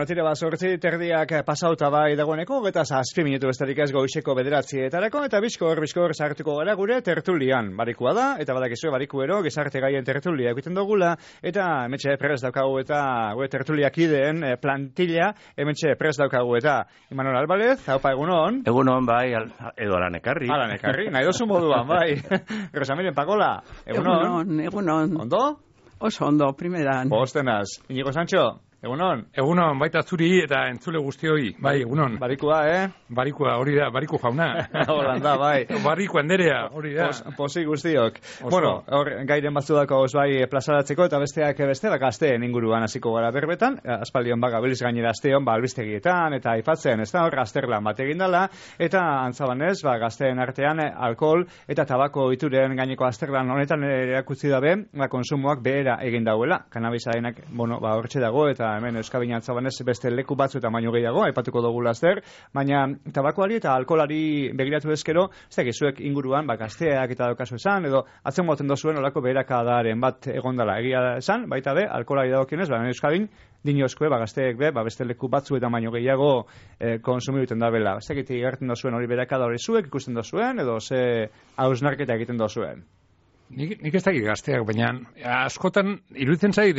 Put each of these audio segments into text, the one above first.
Bueno, tira bat 8:30 pasauta bai dagoeneko, 27 minutu besterik ez goizeko 9:00 eta bizkor sartuko gara gure tertulian. Barikua da, eta badakizue barikuero, gizarte gaien tertulia egiten dugula, eta hementxe prest daukagu eta gure tertuliakideen plantilla, hementxe prest daukagu eta Imanol Alvarez, haupa egunon. Egunon, bai, edo alan ekarri. Alan ekarri, nahi dozu moduan, bai. Rosamiren Pagola, Egunon. Ondo? Oso ondo, primeran. Postenaz. Inigo Sancho, egunon. Egunon, baita zuri eta entzule guztioi. Bai, egunon. Barikua, Barikua, hori da, bariku jauna. Holanda, bai. Bariku anderea, hori da. Posi guztiok. Bueno, hor, gairen batzudako bai plazaratzeko eta besteak gazteen inguruan hasiko gara berbetan. Aspaldion gabiliz gainera asteon, albistegietan eta aipatzen, ez da hor, azterlan bat egindala. Eta antzabanez, gazteen artean alkohol eta tabako ituren gaineko azterlan honetan erakutsi dabe, konsumoak behera egin dauela. Kanabisarenak, hortxe dago eta hemen Euskabina antzabanez beste leku batzu eta baino gehiago, aipatuko dugu laster, baina tabakoari eta alkoholari begiratu ezkero, ez da gizuek inguruan, gazteak eta daukazu esan, edo atzen moten dozuen olako beherakadaren bat egondala egia esan, baita be, alkoholari dagokienez, Euskadin, dinozkoe, gazteek be, beste leku batzu eta baino gehiago konsumibuten da bela. Ez da giti gertzen dozuen hori beherakada hori zuek ikusten dozuen, edo ze hausnarketa egiten dozuen. Nik ez dakit gazteak, baina askotan iruditzen zait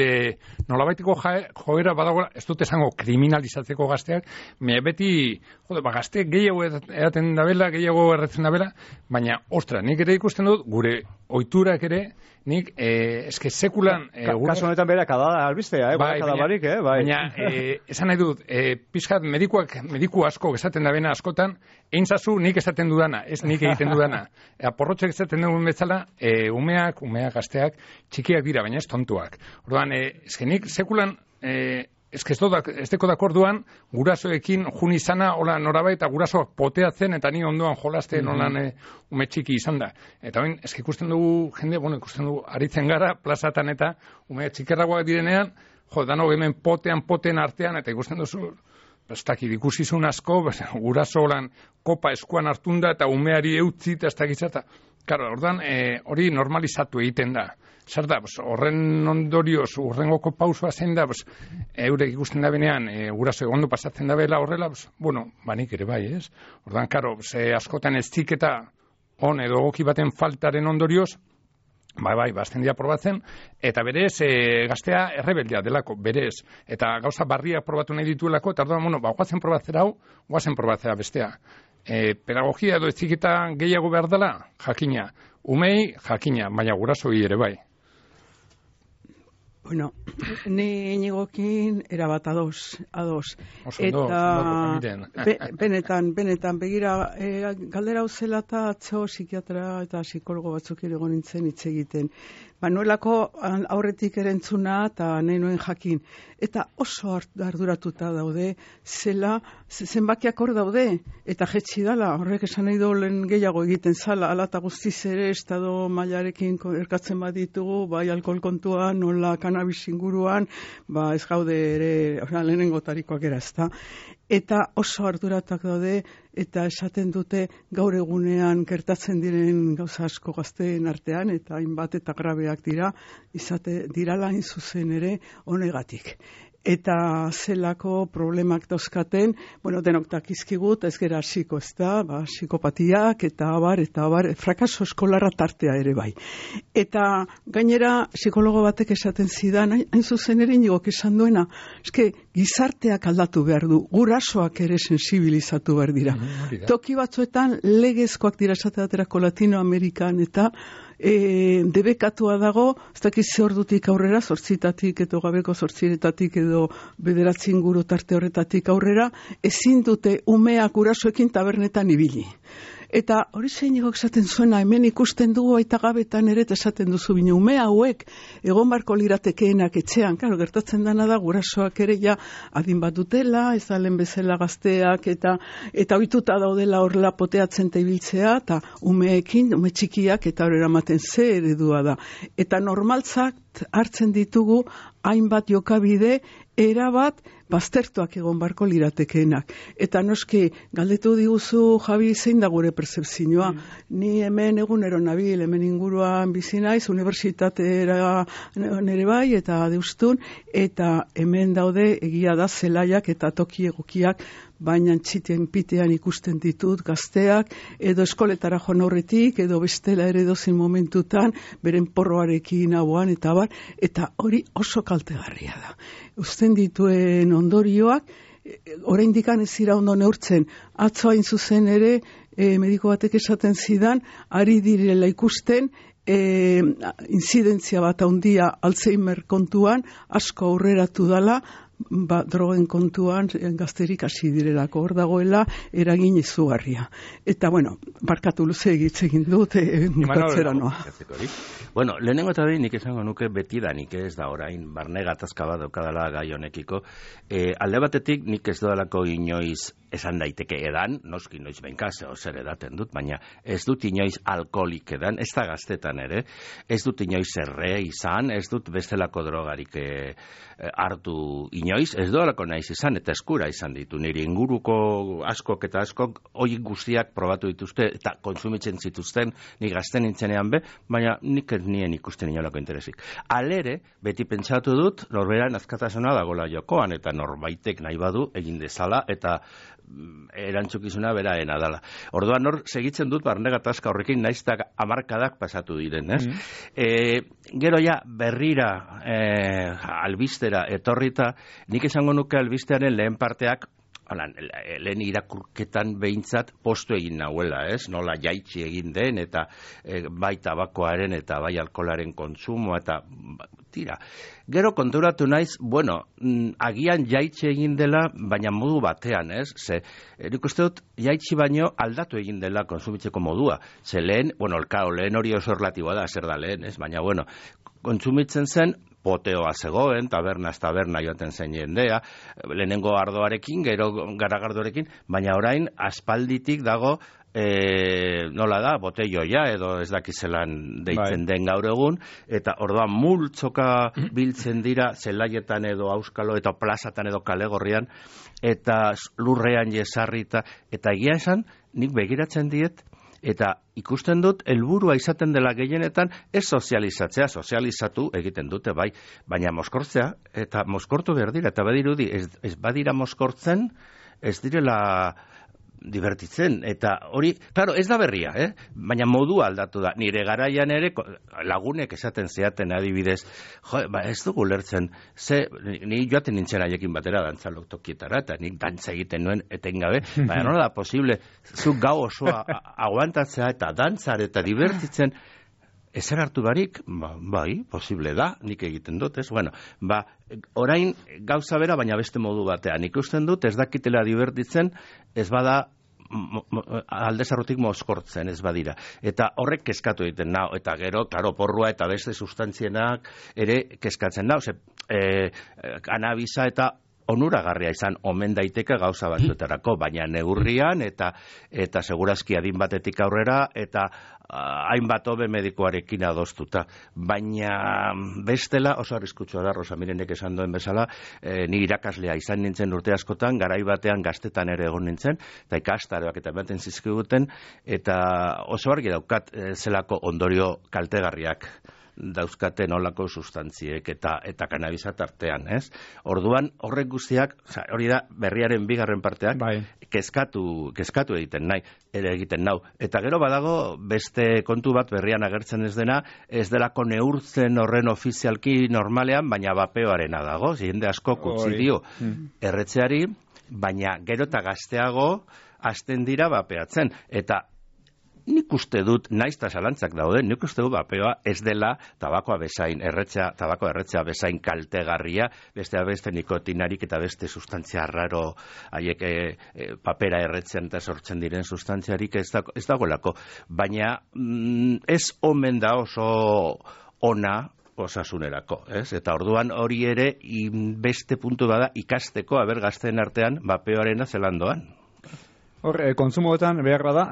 nolabaiteko joera badagoela, ez dut esango kriminalizatzeko gazteak, beti gazteak gehiago edaten dabela, gehiago erretzen dabela, baina, ostra, nik ere ikusten dut, gure ohiturak ere, nik, eske sekulan... Kasu honetan beherakada albistea, barik, Baina, esan nahi dut, pizkat mediku asko esaten dabena askotan, eintzazu nik esaten dudana, ez nik egiten dudana. Porrotxek esaten dugun betzala, umeak, gazteak, txikiak dira, baina ez tontuak. Orduan, nik sekulan... Ez deko dakorduan, gurasoekin jun izana, hola norabait, eta gurasoak poteatzen, eta ni ondoan jolasten holan ume txiki izan da. Eta bain, ikusten dugu, ikusten dugu, aritzen gara, plazatan eta ume txikerragoak direnean, dano hemen poten artean, eta ikusten duzu, ez dakit ikusizun asko, guraso holan kopa eskuan hartunda, eta umeari eutzi, eta ez dakizata. Karo, ordan, hori normalizatu egiten da. Zer da, horren ondorioz, urrengoko pausua zein da, eurek ikusten da benean, guraso egondo pasatzen da bela horrela, banik ere bai, ez? Ordan, karo, askotan ez ziketa on edo egoki baten faltaren ondorioz, bazten dira probatzen, eta berez, gaztea errebeldia delako, berez, eta gauza barriak probatu nahi dituelako, eta orduan, guazen probatzera hau, guazen probatzera bestea. Pedagogia edo ez ziketa gehiago behar dela, jakina. Umei, jakina, baina gurasoi ere bai. Bueno, ni inigokin erabat ados. Eta benetan, begira, galdera hau zela eta atzo psikiatra eta psikologo batzuk ere nintzen hitz egiten. Manuelako aurretik erentzuna eta nahi nuen jakin. Eta oso arduratuta daude, zenbakiak hor daude, eta jetxi dala, horrek esan nahi dolen gehiago egiten zala, ala eta guztiz ere, estado mailarekin erkatzen baditugu, bai alkohol kontuan, nola kanabis inguruan, ez gaude ere, lehenengo tarikoak era, ezta. Eta oso arduratak daude, eta esaten dute gaur egunean gertatzen diren gauza asko gazteen artean, eta hainbat eta grabeak dirala hain zuzen ere honegatik. Eta zelako problemak dauzkaten, denok dakizkigut, ez gera hasiko, ez da, psikopatiak, eta abar, frakaso eskolarra tartea ere bai. Eta gainera, psikologo batek esaten zidan, hain zuzen ere inigok esan duena, eske gizarteak aldatu behar du, gurasoak ere sensibilizatu behar dira. Toki batzuetan legezkoak dira esateaterako Latinoamerikan eta debekatua dago, ez dakiz ze ordutik aurrera, 8 edo gabeko 8 edo 9 inguru tarte horretatik aurrera, ezin dute umeak gurasoekin tabernetan ibili. Eta hori zeinigok esaten zuena, hemen ikusten dugu aita gabetan ere esaten duzu bine, ume hauek egon barko liratekeenak etxean, claro, gertatzen dana da gurasoak ere ja adin bat dutela, ez da lehen bezala gazteak, eta ohituta daudela horrela poteatzen ibiltzea, eta umeekin, ume txikiak, eta hori eramaten ze eredua da. Eta normaltzak hartzen ditugu hainbat jokabide erabat baztertuak egon barko liratekeenak. Eta noski, galdetu diguzu, Javi, zein da gure percepzioa. Ni hemen egunero nabil, hemen inguruan bizi naiz, unibertsitatera nere bai, eta deustun, eta hemen daude egia da zelaiak eta toki egokiak, baina txiten pitean ikusten ditut gazteak, edo eskoletara joan aurretik, edo bestela ere dozen momentutan, beren porroarekin hauan, eta hori oso kaltegarria da. Uzten dituen ondorioak, oraindik ez dira ondo neurtzen, atzo hain zuzen ere, mediko batek esaten zidan, ari direla ikusten, inzidentzia bat handia Alzheimer kontuan, asko aurreratu dala, drogen kontuan gazterik hasi direlako, hor dagoela eragin izugarria. Eta, bueno, barkatu luze egin dut, bukatzera noa. Bueno, lehenengo eta behin nik esango nuke betidanik ez da orain, barne gatazka bat daukadala gai honekiko. Alde batetik nik ez dudalako inoiz esan daiteke edan, noski noiz benka, zer edaten dut, baina ez dut inoiz alkoholik edan, ez da gaztetan ere, ez dut inoiz erre izan, ez dut bestelako drogarik hartu inoiz, ez dudalako naiz izan, eta eskura izan ditu, niri inguruko askok eta askok hori guztiak probatu dituzte, eta kontsumitzen zituzten, ni gazten nintzenean baina nik nien ikusten inolako interesik. Alere, beti pentsatu dut, norberan azkatasuna dagoela jokoan, eta norbaitek nahi badu egin dezala, eta erantzukizuna beraena dela. Orduan hor segitzen dut barne gatazka horrekin naiztak hamarkadak pasatu diren, ez? Gero ja berrira albistera etorrita, nik esango nuke albistearen lehen parteak lehen irakurketan behintzat postu egin nahuela, ez? Nola jaitsi egin den, eta bai tabakoaren eta bai alkoholaren kontsumo, eta tira. Gero konturatu naiz, bueno, agian jaitsi egin dela, baina modu batean, ez? Ze, nik uste dut, jaitsi baino aldatu egin dela konsumitzeko modua. Ze lehen, bueno, lehen hori oso relatiboa da, zer da lehen, ez? Baina, bueno, kontsumitzen zen, poteoa zegoen, taberna joaten zen jendea, lehenengo ardoarekin, gero garagardorekin, baina orain aspalditik dago, nola da, botelloia edo ez dakizelan deitzen den gaur egun, eta orduan multzoka biltzen dira zelaietan edo auskalo eta plazatan edo kalegorrian, eta lurrean jesarrita, eta egia esan, nik begiratzen diet, eta ikusten dut, helburua izaten dela gehienetan, ez sozializatzea, sozializatu egiten dute, bai, baina mozkortzea, eta mozkortu behar dira, eta badirudi, ez badira mozkortzen, ez direla divertitzen, eta hori, claro, ez da berria, baina modua aldatu da. Nire garaian ere, lagunek esaten zeaten adibidez, ez dugu lertzen, ni joaten nintzen haiekin batera dantzalok tokietara, eta nik dantza egiten nuen etengabe, baina nola da posible, zuk gau osoa aguantatzea eta dantzar eta divertitzen, ezer hartu barik, bai, posible da, nik egiten dut, ez? Bueno, orain gauza bera, baina beste modu batean. Ikusten dut, ez dakitela divertitzen, ez bada aldezarrotik mozkortzen, ez badira. Eta horrek kezkatu egiten nau, eta gero, klaro, porrua eta beste sustantzienak ere kezkatzen nau, kanabisa eta onuragarria izan omen daiteke gauza batzuetarako, baina neurrian eta segurazki adin batetik aurrera eta hainbat hobe medikoarekin adostuta. Baina bestela oso arriskutsua da, Rosa Mirenek esan duen bezala, ni irakaslea izan nintzen urte askotan, garai batean gaztetan ere egon nintzen, eta ikastaroak eta ematen zizkiguten, eta oso argi daukat zelako ondorio kaltegarriak dauzkaten olako sustantziek eta kanabisa tartean, ez? Orduan, horrek guztiak, hori da berriaren bigarren parteak, kezkatu egiten nau. Eta gero badago beste kontu bat berrian agertzen ez dena, ez delako neurtzen horren ofizialki normalean, baina bapeoarena dago, jende asko utzi dio erretzeari, baina gero eta gazteago hasten dira bapeatzen. Eta nik uste dut, naiz eta zalantzak daude, nik uste dut bapeoa ez dela tabakoa bezain, tabakoa erretzea bezain kaltegarria, beste nikotinarik eta beste sustantzia raro haiek papera erretzen eta sortzen diren sustantziarik ez dagoelako. Baina ez omen da oso ona osasunerako, ez? Eta orduan hori ere beste puntu bada ikasteko gazteen artean bapeoarena zelandoan. Hor, kontsumoetan behar bada,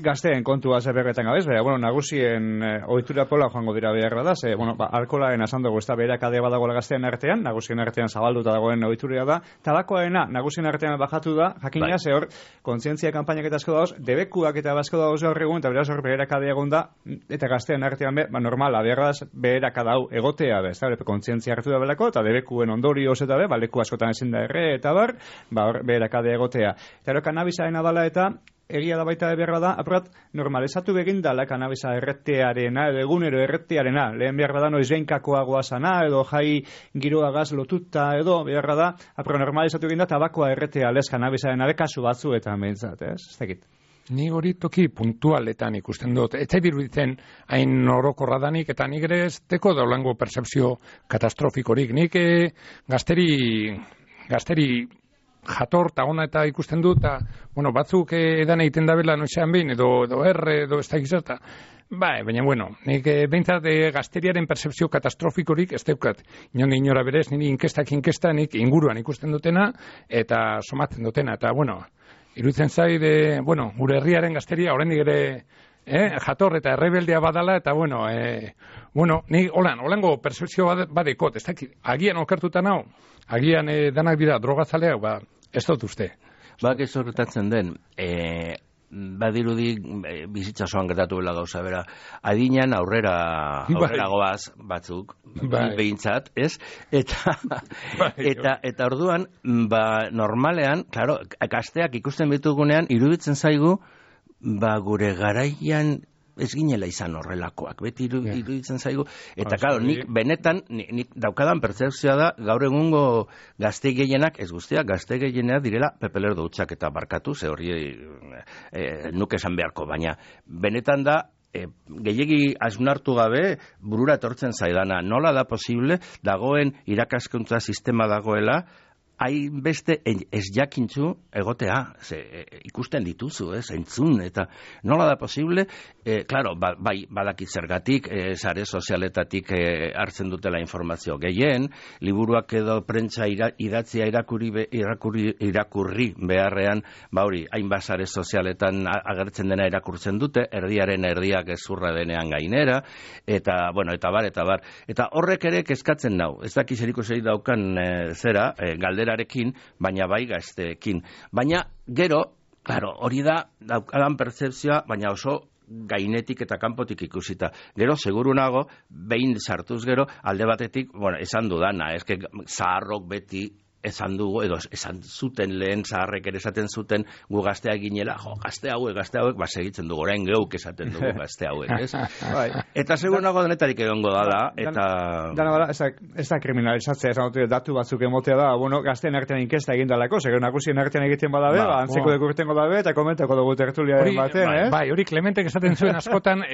gazteen kontua zerberretan gabez, bueno, nagusien ohitura pola joango dira behar da, bueno, alkoholaren esan dugu, ez da beherakadea badagoela gazteen artean, nagusien artean zabalduta dagoen ohituria da, tabakoarena nagusien artean bajatu da, jakina, ze hor, kontzientzia kanpainak eta asko dauz, debekuak eta asko dauz hor egun, eta beraz hor beherakadea egon da, eta gazteen artean normala, beharraz beherakada hau egotea, ez da, kontzientzia hartu da belako, eta debekuen ondorioz eta leku askotan ezin da erre, eta hor beherakadea egotea. Eta hor, kanabisaren adala eta egia da baita beharra da, apurat, normalizatu begin dala kanabisa erretearena, edo egunero erretearena, lehen beharra da noizbeinkakoagoa sana, edo jai giroagaz lotuta, edo beharra da, apurat, normalizatu egin da, tabakoa erretea lez kanabisaren abekasu batzuetan behintzat, ez? Ez dakit. Ni hori toki puntualetan ikusten dut. Ez zait iruditzen hain orokorra danik, eta nik ere ez teko daulango percepzio katastrofikorik. Nik gazteri jator eta ona eta ikusten dut, eta, bueno, batzuk edan egiten dabela noizean behin, edo edo ez da gizarta. Baina, bueno, nik behintzat gazteriaren percepzio katastrofikorik ez daukat. Inora berez, niri inkesta, nik inguruan ikusten dutena, eta somatzen dutena, eta, bueno, iruditzen zaide, bueno, gure herriaren gazteria, oraindik ere, jator eta errebeldea badala, eta, bueno, nik holango percepzio badekot, ez dakit, agian okertuta nau, agian danak dira drogazaleak, ez dut uste. Ez horretatzen den, badirudi bizitza osoan gertatu bela gauza, bera, adinean aurrera goaz batzuk, behintzat, ez? Eta orduan, normalean, klaro, gazteak ikusten bitugunean, iruditzen zaigu, gure garaian ez ginela izan horrelakoak, beti iruditzen zaigu, eta claro, nik benetan, nik daukadan pertzepzioa da, gaur egungo gazte gehienak, ez guztiak, gazte gehienak direla pepelerdo hutsak eta barkatu, ze hori nuke esan beharko, baina benetan da, gehiegi asnartu gabe burura etortzen zaidana, nola da posible, dagoen irakaskuntza sistema dagoela, hainbeste ez jakintzu egotea, ikusten dituzu, entzun, eta nola da posible, claro, badakit zergatik, sare sozialetatik hartzen dutela informazio gehien, liburuak edo prentsa idatzia irakurri beharrean, hori, hainbat sare sozialetan agertzen dena irakurtzen dute, erdiaren erdiak ezurra denean gainera, eta, bueno, eta bar. Eta horrek ere kezkatzen nau, ez dakiz erikusi daukan zera, galdera baina bai gazteekin. Baina gero, claro, hori da daukadan pertzepzioa, baina oso gainetik eta kanpotik ikusita. Gero, seguru nago, behin sartuz gero, alde batetik, bueno, esan dudana, eske zaharrok beti esan dugu, edo esan zuten lehen zaharrek ere esaten zuten gu gaztea ginela, gazte hauek, segitzen dugu, orain geuk esaten dugu gazte hauek, ez? Eta segur nago denetarik egongo dala, eta... Dana bala, ez da kriminalizatzea, esan dut datu batzuk emotea da, bueno, gazteen artean inkesta egin dalako, segur nagusien artean egiten badabe, antzeko dekurtengo dabe, eta komentako dugu tertuliaren batean, ez? Bai, hori Clementek esaten zuen askotan,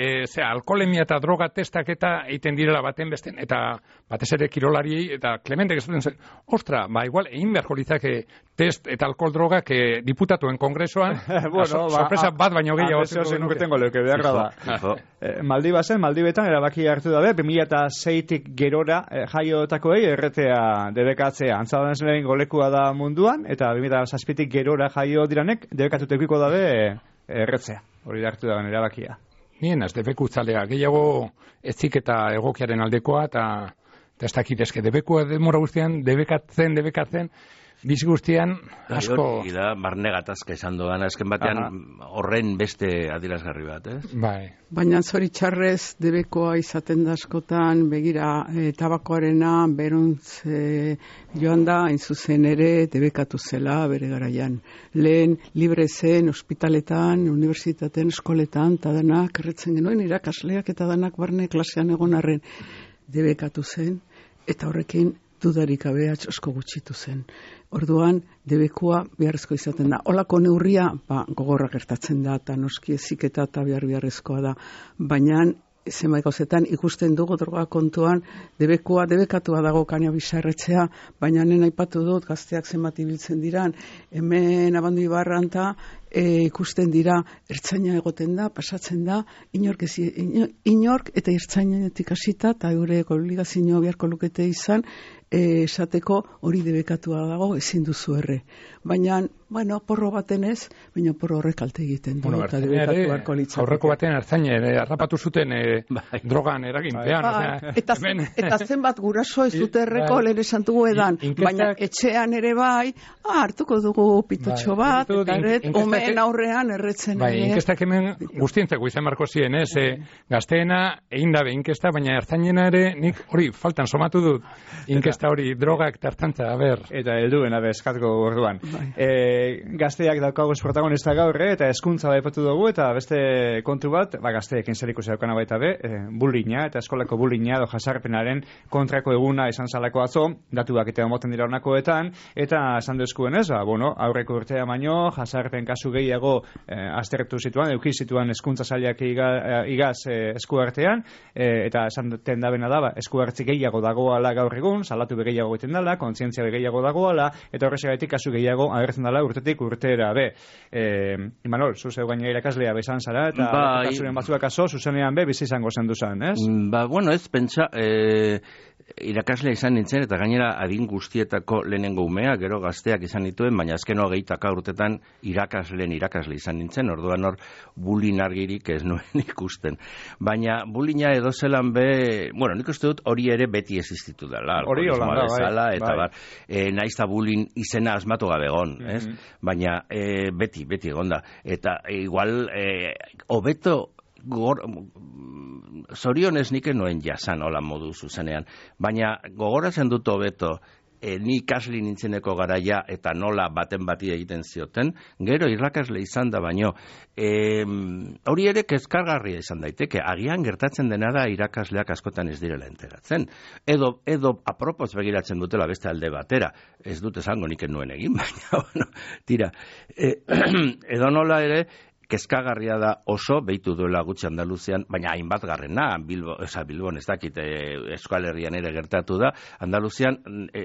alkoholemia eta droga testak eta egiten direla baten besten, eta batez ere kirolariei, eta Clementek esaten zuen, ostra, igual egin beharko litzake test eta alkohol droga que diputatuen kongresoan, sorpresa bat baino gehiago. Zenukitengo leuke beharra da. Maldibetan erabaki hartu dabe, 2006-tik gerora jaiotakoei erretea debekatzea. Antzadan lehen golekua da munduan, eta 2006-tik gerora jaio diranek debekatutekiko dabe erretzea. Hori da hartu dagoen erabakia. Nien, ez debekutzalea, gehiago etzik eta egokiaren aldekoa, eta ez dakit, eske debekua demora guztian, debekatzen, bizi guztian, asko... Hori da, barne gatazka esan doan, azken batean horren beste adirazgarri bat, ez? Bai. Baina zoritxarrez debekoa izaten da askotan, begira, tabakoarena, beruntz joan da, hain zuzen ere, debekatu zela, bere garaian. Lehen, libre zen, ospitaletan, unibertsitateen, eskoletan, eta danak, erretzen genuen, irakasleak eta danak barne klasean egon arren debekatu zen, eta horrekin dudarik gabe asko gutxitu zen. Orduan, debekua beharrezko izaten da. Olako neurria, gogorra gertatzen da, eta noski eziketa eta beharrezkoa da. Baina, zenbait gauzetan ikusten dugu droga kontuan, debekatua dago kanabisa erretzea, baina nena aipatu dut, gazteak zenbat ibiltzen diran, hemen Abandu Ibarranta ikusten dira, ertzaina egoten da, pasatzen da, inork eta ertzainetik hasita, eta eurek obligazio beharko lukete izan, esateko hori debekatua dago ezin duzu erre. Baina, bueno, porro baten ez, baina porro horrek kalte egiten du. Eta debekatuako litzateke. Aurreko baten Artzaina harrapatu zuten drogan eraginpean. Eta zenbat guraso ez dute erreko lehen esan dugu edan. Baina etxean ere bai, hartuko dugu pitotxo bat, eta umeen aurrean erretzen. Bai, inkestak hemen guztientzako izan marko ziren, ez? Gazteena egin dabe inkesta, baina Ertzainena ere nik hori faltan somatu dut. Inkesta hori drogak tartantza, Eta helduen eskatuko orduan. Gazteak daukaguz protagonista gaur, eta hezkuntza daipatu dugu, eta beste kontu bat, gazteekin zerikusi daukana baita bullyinga, eta eskolako bullyinga edo jasarpenaren kontrako eguna izan zalako atzo, datuak eta moten dira honakoetan, eta esan duzkuen ez, aurreko urtea baino, jasarpen kasu gehiago aztertu zituan, eduki zituan hezkuntza sailak igaz eskuartean, eta esan duten dabena da, eskuartzi gehiago dagoala gaur egun, salatu gehiago egiten dela, kontzientzia gehiago dagoala, eta horrexegatik kasu gehiago agertzen dela urtetik urtera Imanol, zuzeu gaina irakaslea bezan zara, eta kasuren batzuak zuzenean bizi izango zen duzan, ez? Bueno, ez, pentsa, irakaslea izan nintzen, eta gainera adin guztietako lehenengo umea, gero gazteak izan dituen, baina azken 20 urtetan irakasle izan nintzen, orduan hor bullying argirik ez nuen ikusten. Baina bullyinga edo zelan bueno, nik uste dut hori ere beti existitu dela, alkoholismoa bezala, eta naiz eta bullying izena asmatu gabe egon, ez? Baina beti egonda. Eta igual, hobeto zorionez nik noen jasan hola modu zuzenean, baina gogoratzen dut hobeto ni ikasle nintzeneko garaia eta nola baten bati egiten zioten, gero irakasle izan da baino, hori ere kezkargarria izan daiteke, agian gertatzen dena da irakasleak askotan ez direla enteratzen, edo apropos begiratzen dutela beste alde batera, ez dut esango nik nuen egin, baina, bueno, tira, edo nola ere, kezkagarria da oso, behitu duela gutxi Andaluzian, baina hainbat garrena, Bilbon ez dakit, Euskal Herrian ere gertatu da, Andaluzian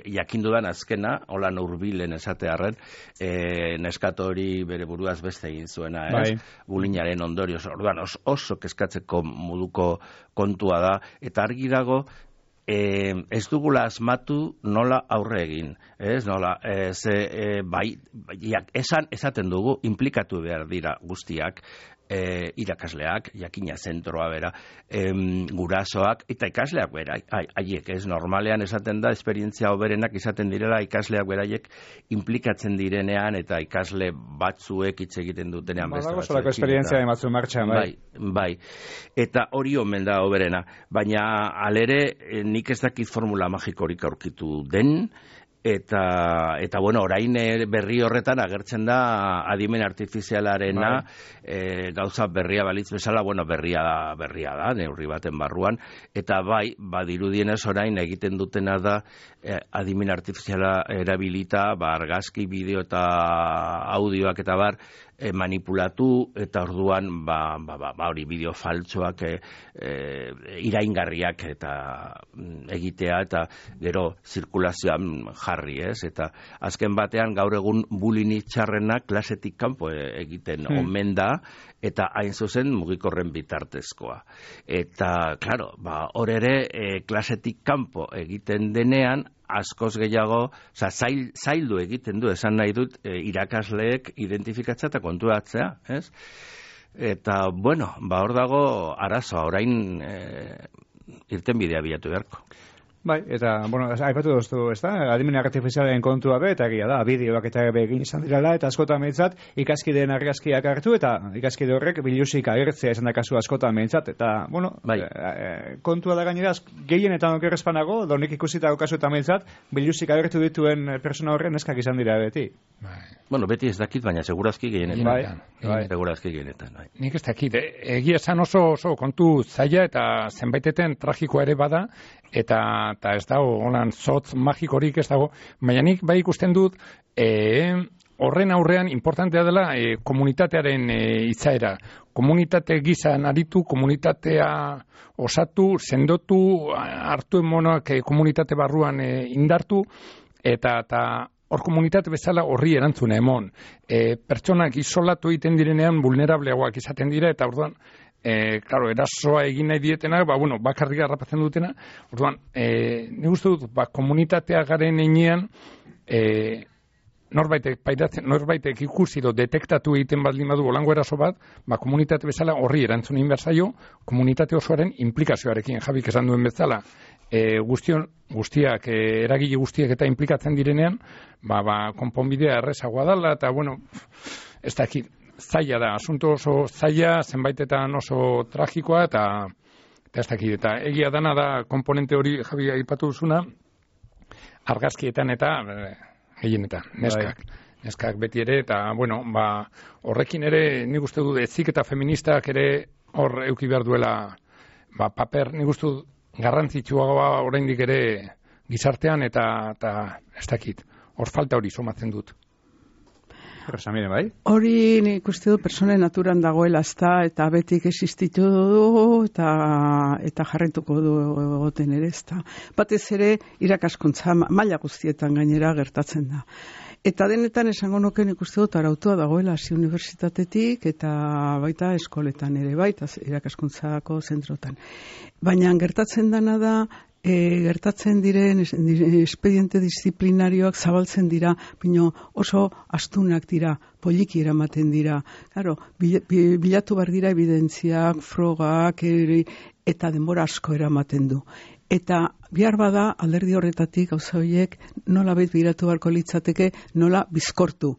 jakindudan azkena, hola hurbilen esatearren, neskatori bere buruaz beste egin zuena, ez? Bullyingaren ondorioz, orduan oso kezkatzeko moduko kontua da, eta argi dago, ez dugula asmatu nola aurre egin, ez? Nola, esaten dugu, implikatu behar dira guztiak, irakasleak, jakina zentroa bera, gurasoak, eta ikasleak bera, haiek, ez? Normalean esaten da, esperientzia hoberenak izaten direla, ikasleak beraiek implikatzen direnean, eta ikasle batzuek hitz egiten dutenean beste batzuekin. Solako esperientzia batzu martxan, bai. Eta hori omen da hoberena, baina alere nik ez dakit formula magikorik aurkitu den, eta bueno, orain berri horretan agertzen da adimen artifizialarena, gauza berria balitz bezala, bueno, berria da, neurri baten barruan, eta badirudienez orain egiten dutena da adimen artifiziala erabilita, argazki, bideo eta audioak eta manipulatu, eta orduan hori bideo faltsoak iraingarriak eta egitea, eta gero zirkulazioan jarri, ez? Eta azken batean gaur egun bullying txarrena klasetik kanpo egiten omen da, eta hain zuzen mugikorren bitartezkoa. Eta, klaro, hor ere klasetik kanpo egiten denean, askoz gehiago, zaildu egiten du, esan nahi dut, irakasleek identifikatzea eta konturatzea, ez? Eta, bueno, hor dago arazoa, orain irtenbidea bilatu beharko. Bai, eta, bueno, aipatu duztu, ez da, adimen artifizialen kontua eta egia da, bideoak eta egin izan direla, eta askotan behintzat, ikaskideen argazkiak hartu, eta ikaskide horrek bilusik agertzea esan da kasu askotan behintzat, eta, bueno, kontua da gainera, gehienetan okerrezpanago, donik ikusitako kasu eta behintzat, bilusik agertu dituen persona horren eskak izan dira beti. Bueno, beti ez dakit, baina segurazki gehienetan. Segurazki gehienetan. Nik ez dakit, egia esan oso kontu zaila eta zenbaiteten tragikoa ere bada, eta ez dago, holan, zotz magikorik ez dago, baina nik bai ikusten dut, horren aurrean importantea dela komunitatearen itzaera. Komunitate gizan aritu, komunitatea osatu, sendotu, hartu emonak komunitate barruan indartu, eta hor komunitate bezala horri erantzuna emon. Pertsonak isolatu egiten direnean vulnerableagoak izaten dira, eta orduan claro, erasoa egin nahi dietenak, bakarrik harrapatzen dutena. Orduan, nik uste dut, komunitatea garen einean, norbaitek ikusi detektatu egiten baldin badu olango eraso bat, komunitate bezala horri erantzun egin behar zaio, komunitate osoaren implikazioarekin, Jabik esan duen bezala, guztiak, eragile guztiak eta implikatzen direnean, konponbidea errezagoa dela, eta, ez dakit, zaila da, asunto oso zaila, zenbaitetan oso tragikoa, eta ez dakit, eta egia dana da komponente hori Javi aipatu duzuna, argazkietan eta gehienetan, neskak beti ere, eta horrekin ere nik uste dut ezik eta feministak ere hor euki behar duela paper, nik uste dut garrantzitsuagoa oraindik ere gizartean eta ez dakit, hor falta hori somatzen dut. Rosamire, bai? Hori nik uste du persone naturan dagoela eta betik existitu du eta jarretuko du egoten ere ezta. Batez ere irakaskuntza maila guztietan gainera gertatzen da. Eta denetan esango nuke nik uste dut arautua dagoela hasi unibertsitatetik eta baita eskoletan ere, baita irakaskuntzako zentrotan. Baina gertatzen dana da gertatzen diren espediente disiplinarioak zabaltzen dira, bino oso astunak dira, poliki eramaten dira. Claro, bilatu behar dira evidentziak, frogak, eta denbora asko eramaten du. Eta bihar bada alderdi horretatik gauza horiek nola bilatu beharko litzateke, nola bizkortu.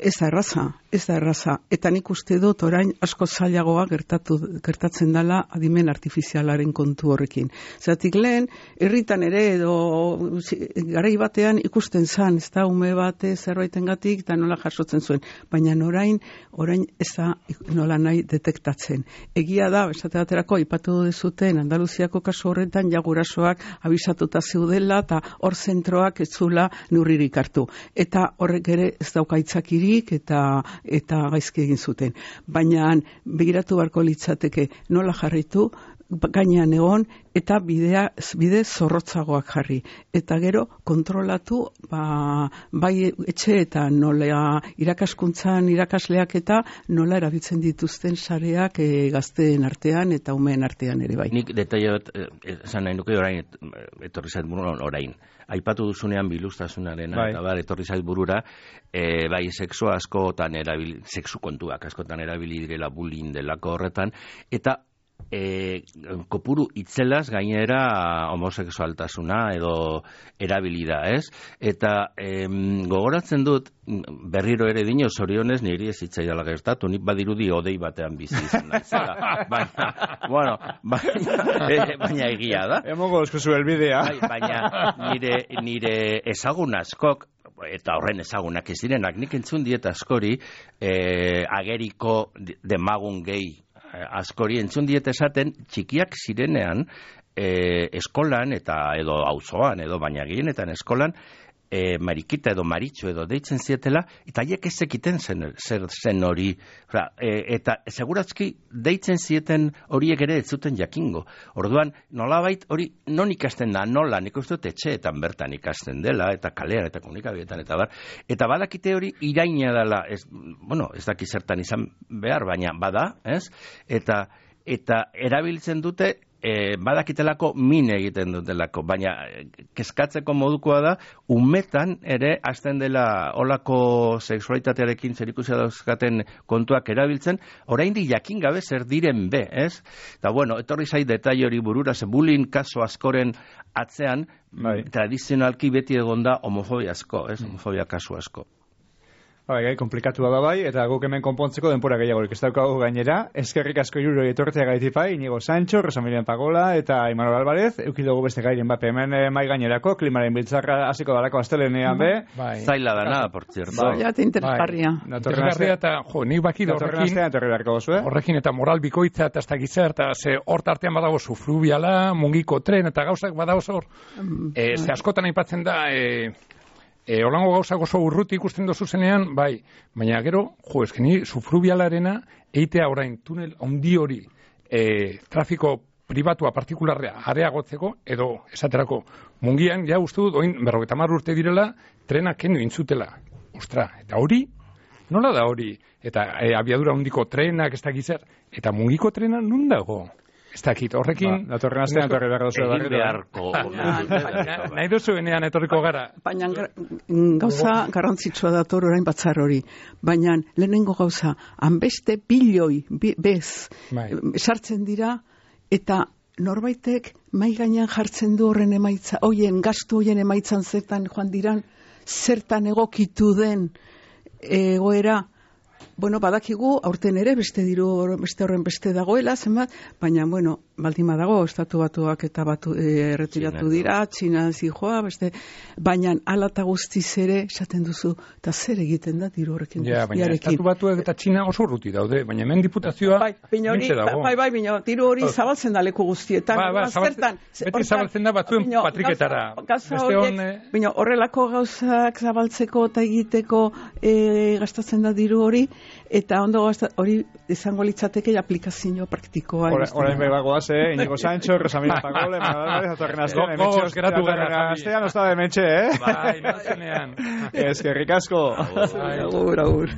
Ez da erraza. Eta nik uste dut orain asko zailagoa gertatzen dela adimen artifizialaren kontu horrekin. Zeratik lehen, herritan ere edo garai batean ikusten zan, ez da ume bate zerbaitengatik eta nola jasotzen zuen. Baina orain ez da nola nahi detektatzen. Egia da, esate baterako, ipatu dezuten Andaluziako kasu horretan jagurasoak abisatuta zeudela eta hor zentroak ez zula neurririk hartu. Eta horrek ere ez daukaitzakirik eta gaizki egin zuten. Baina begiratu beharko litzateke nola jarritu, gainean egon eta bide zorrotzagoak jarri. Eta gero kontrolatu bai etxeetan nola irakaskuntzan irakasleak eta nola erabiltzen dituzten sareak gazteen artean eta umeen artean ere bai. Nik detaile bat esan nahi nuke orain etorri zait orain. Aipatu duzunean biluztasunarena eta etorri zait burura, bai sexu askotan sexu kontuak askotan erabili direla bullying delako horretan, eta kopuru itzelaz gainera homosexualtasuna edo erabilida, ez? Eta gogoratzen dut, berriro ere dino, zorionez niri ez hitzaidala gertatu, nik badirudi odei batean bizi izan naizela. Baina egia da. Emogo eskuzu elbidea. Baina nire ezagun askok, eta horren ezagunak ez direnak, nik entzun diet askori ageriko demagun gehi askori entzun diet esaten txikiak zirenean eskolan eta edo auzoan edo baina gehienetan eskolan marikita edo maritxo edo deitzen zietela eta haiek ez zekiten zer zen hori eta segurazki deitzen zieten horiek ere ez zuten jakingo. Orduan nolabait hori non ikasten da, nola, nik uste dut etxeetan bertan ikasten dela eta kalean eta komunikabietan eta badakite hori iraina dela, ez daki zertan izan behar, baina bada, ez? Eta erabiltzen dute badakitelako min egiten dutelako, baina kezkatzeko modukoa da, umetan ere hasten dela olako sexualitatearekin zerikusia dauzkaten kontuak erabiltzen, oraindik jakin gabe zer diren be, ez? Eta etorri zait detaile hori burura, ze bullying kaso askoren atzean, tradizionalki beti egonda homofobia asko, ez? Homofobia kasu asko. Gai, komplikatua da bai, eta guk hemen konpontzeko denpora gehiagorik ez daukagu gainera. Eskerrik asko iruro etortzea gaitipai, Inigo Sancho, Rosamirian Pagola eta Imanol Alvarez. Eukidugu beste gairen bat hemen mai gainerako, klimaren biltzarra hasiko dalako astelenean be. Zaila da nada, por cierto. Zaila eta interesgarria. Interesgarria eta, nik bakit horrekin eta moral bikoitza eta ez da gizar, eta hor tartean badago sufrubiala, mungiko tren eta gauzak badago hor. Ze askotan aipatzen da... Holango gauzak oso urruti ikusten dozu zenean, bai, baina gero, eskeni sufrubialarena eitea orain tunel handi hori trafiko pribatua partikularrea areagotzeko, edo esaterako mungian, ja uste dut, oin 50 urte direla, trenak kendu intzutela. Ostra, eta hori, Nola da hori? Eta abiadura handiko trenak, ez dakit zer, eta mugiko trena nun dago? Ez dakit, horrekin... Datorren astean etorri behar duzu. Egin beharko. Nahi duzuenean etorriko gara. Baina gauza garrantzitsua dator orain batzar hori. Baina lehenengo gauza, hanbeste bilioi, sartzen dira, eta norbaitek mai gainean jartzen du horren emaitza, gastu hoien emaitzan zertan joan diran, zertan egokitu den egoera. Bueno, badakigu, aurten ere, beste horren beste dagoela, zenbat, baina, bueno, baldin badago, estatu batuak eta erretiratu dira, Txina zijoa, baina ala eta guztiz ere, esaten duzu, eta zer egiten da diru horrekin guztiarekin. Baina estatu batuak eta Txina oso urruti daude, baina hemen diputazioa mentxe dago. Baina diru hori zabaltzen da leku guztietan. Beti zabaltzen da batzuen patriketara. Baina horrelako gauzak zabaltzeko eta egiteko gastatzen da diru hori, eta ondo hori izango litzateke aplikazio praktikoa. Orain bebagoaz, Inigo Sancho, Rosamira Pagole, zatorren astean, gogoz geratu gara. Astean, osta de mentxe, Bai, nazenean. Eskerrik asko. Agur.